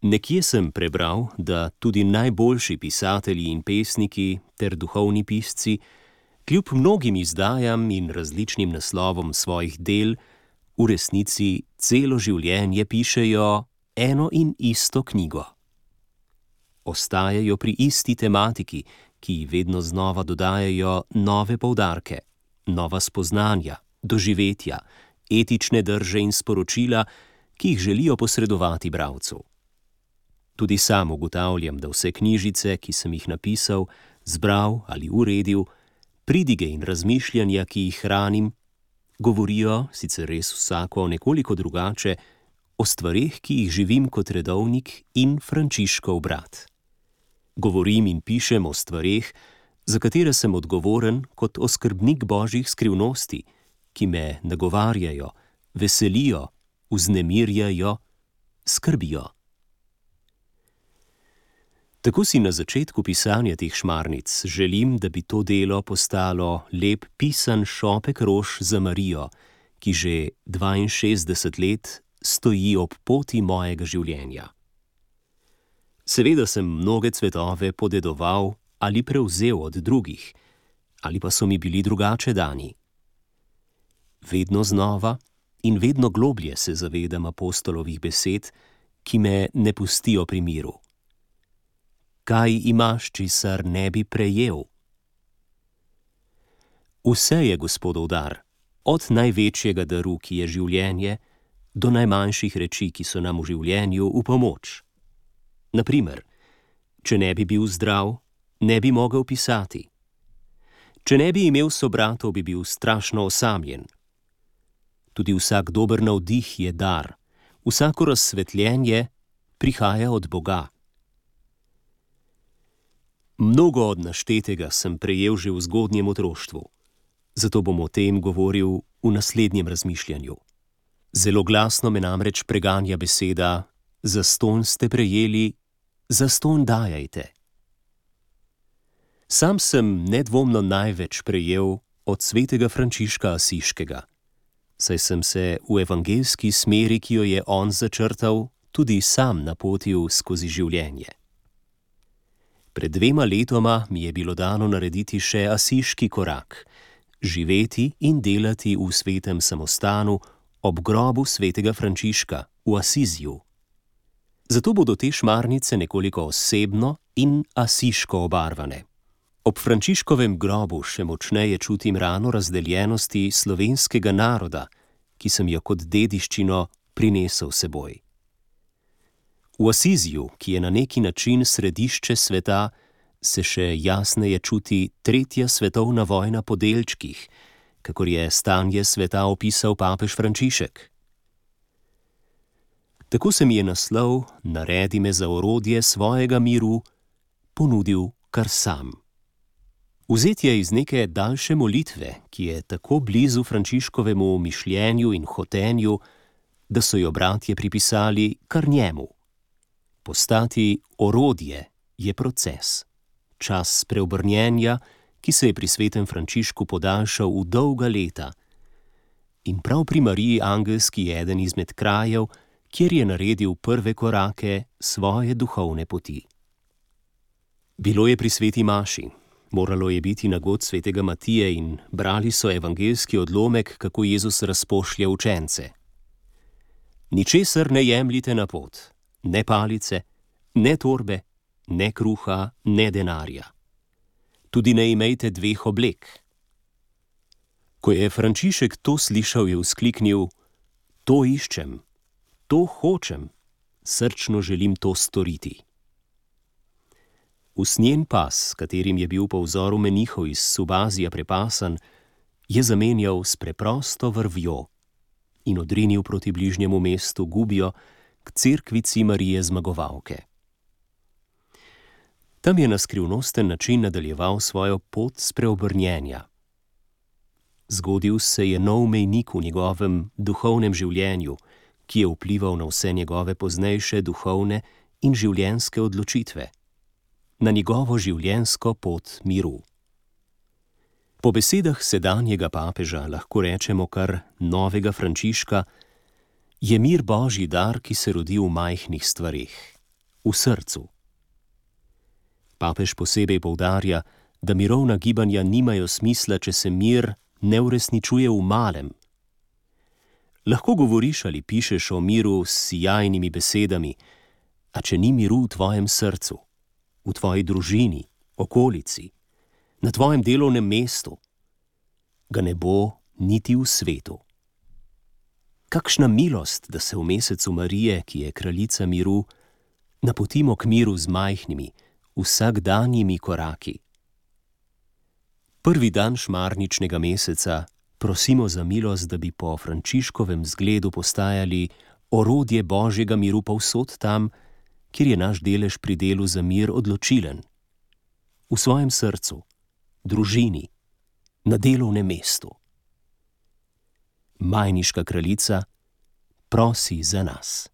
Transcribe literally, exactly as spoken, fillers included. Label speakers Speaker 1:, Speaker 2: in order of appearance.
Speaker 1: Nekje sem prebral, da tudi najboljši pisatelji in pesniki ter duhovni pisci, kljub mnogim izdajam in različnim naslovom svojih del, v resnici celo življenje pišejo eno in isto knjigo. Ostajajo pri isti tematiki, ki ji vedno znova dodajajo nove poudarke, nova spoznanja, doživetja, etične drže in sporočila, ki jih želijo posredovati bralcu. Tudi sam ugotavljam, da vse knjižice, ki sem jih napisal, zbral ali uredil, pridige in razmišljanja, ki jih hranim, govorijo, sicer res vsako nekoliko drugače, o stvareh, ki jih živim kot redovnik in Frančiškov brat. Govorim in pišem o stvareh, za katere sem odgovoren kot oskrbnik božjih skrivnosti, ki me nagovarjajo, veselijo, vznemirjajo, skrbijo. Tako si na začetku pisanja teh šmarnic želim, da bi to delo postalo lep pisan šopek rož za Marijo, ki že dvainšestdeset let stoji ob poti mojega življenja. Seveda sem mnoge cvetove podedoval ali prevzel od drugih, ali pa so mi bili drugače dani. Vedno znova in vedno globlje se zavedam apostolovih besed, ki me ne pustijo pri miru. Kaj imaš, česar ne bi prejel? Vse je Gospodov dar, od največjega daru, ki je življenje, do najmanjših reči, ki so nam v življenju v pomoč. Na primer, če ne bi bil zdrav, ne bi mogel pisati. Če ne bi imel sobratov, bi bil strašno osamljen. Tudi vsak dober navdih je dar, vsako razsvetljenje prihaja od Boga. Mnogo od naštetega sem prejel že v zgodnjem otroštvu, zato bom o tem govoril v naslednjem razmišljanju. Zelo glasno me namreč preganja beseda: zastonj ste prejeli, zastonj dajajte. Sam sem nedvomno največ prejel od svetega Frančiška Asiškega, saj sem se v evangeljski smeri, ki jo je on začrtal, tudi sam napotil skozi življenje. Pred dvema letoma mi je bilo dano narediti še asiški korak, živeti in delati v svetem samostanu ob grobu svetega Frančiška v Asiziju. Zato bodo te šmarnice nekoliko osebno in asiško obarvane. Ob Frančiškovem grobu še močneje čutim rano razdeljenosti slovenskega naroda, ki sem jo kot dediščino prinesel seboj. V Asiziju, ki je na neki način središče sveta, se še jasneje čuti tretja svetovna vojna po delčkih, kakor je stanje sveta opisal papež Frančišek. Tako se mi je naslov Naredi me za orodje svojega miru ponudil kar sam. Vzet je iz neke daljše molitve, ki je tako blizu Frančiškovemu mišljenju in hotenju, da so jo bratje pripisali kar njemu. Postati orodje je proces, čas preobrnjenja, ki se je pri svetem Frančišku podaljšal v dolga leta. In prav pri Mariji Angelski je eden izmed krajev, kjer je naredil prve korake svoje duhovne poti. Bilo je pri sveti maši, moralo je biti na god svetega Matije in brali so evangeljski odlomek, kako Jezus razpošlje učence. Ničesar ne jemljite na pot. Ne palice, ne torbe, ne kruha, ne denarja. Tudi ne imejte dveh oblek. Ko je Frančišek to slišal, je vzkliknil: to iščem, to hočem, srčno želim to storiti. Usnjen pas, katerim je bil po vzoru menihov iz Subazija prepasan, je zamenjal s preprosto vrvjo in odrinil proti bližnjemu mestu Gubijo, k cerkvici Marije Zmagovalke. Tam je na skrivnosten način nadaljeval svojo pot spreobrnjenja. Zgodil se je nov mejnik v njegovem duhovnem življenju, ki je vplival na vse njegove poznejše duhovne in življenjske odločitve, na njegovo življenjsko pot miru. Po besedah sedanjega papeža lahko rečemo kar novega Frančiška: je mir Božji dar, ki se rodi v majhnih stvareh, v srcu. Papež posebej poudarja, da mirovna gibanja nimajo smisla, če se mir ne uresničuje v malem. Lahko govoriš ali pišeš o miru s sijajnimi besedami, a če ni miru v tvojem srcu, v tvoji družini, okolici, na tvojem delovnem mestu, ga ne bo niti v svetu. Kakšna milost, da se v mesecu Marije, ki je kraljica miru, napotimo k miru z majhnimi, vsakdanjimi koraki. Prvi dan šmarničnega meseca prosimo za milost, da bi po Frančiškovem zgledu postajali orodje Božjega miru povsod tam, kjer je naš delež pri delu za mir odločilen. V svojem srcu, družini, na delovnem mestu. Majniška kraljica prosi za nas.